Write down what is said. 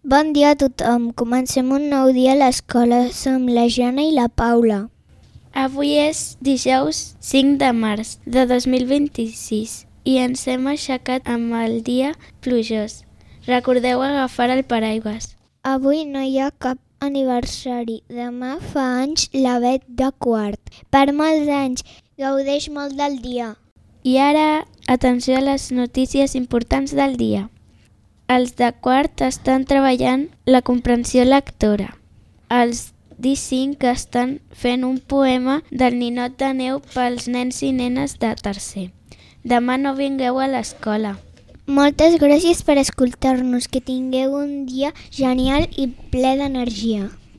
Bon dia a tothom. Comencem un nou dia a l'escola. Som la Jana i la Paula. Avui és dijous 5 de març de 2026 i ens hem aixecat amb el dia plujós. Recordeu agafar el paraigües. Avui no hi ha cap aniversari. Demà fa anys la Bet de quart. Per molts anys. Gaudeix molt del dia. I ara, atenció a les notícies importants del dia. Els de quart estan treballant la comprensió lectora. Els D5 estan fent un poema del ninot de neu pels nens i nenes de tercer. Demà no vingueu a l'escola. Moltes gràcies per escoltar-nos. Que tingueu un dia genial i ple d'energia.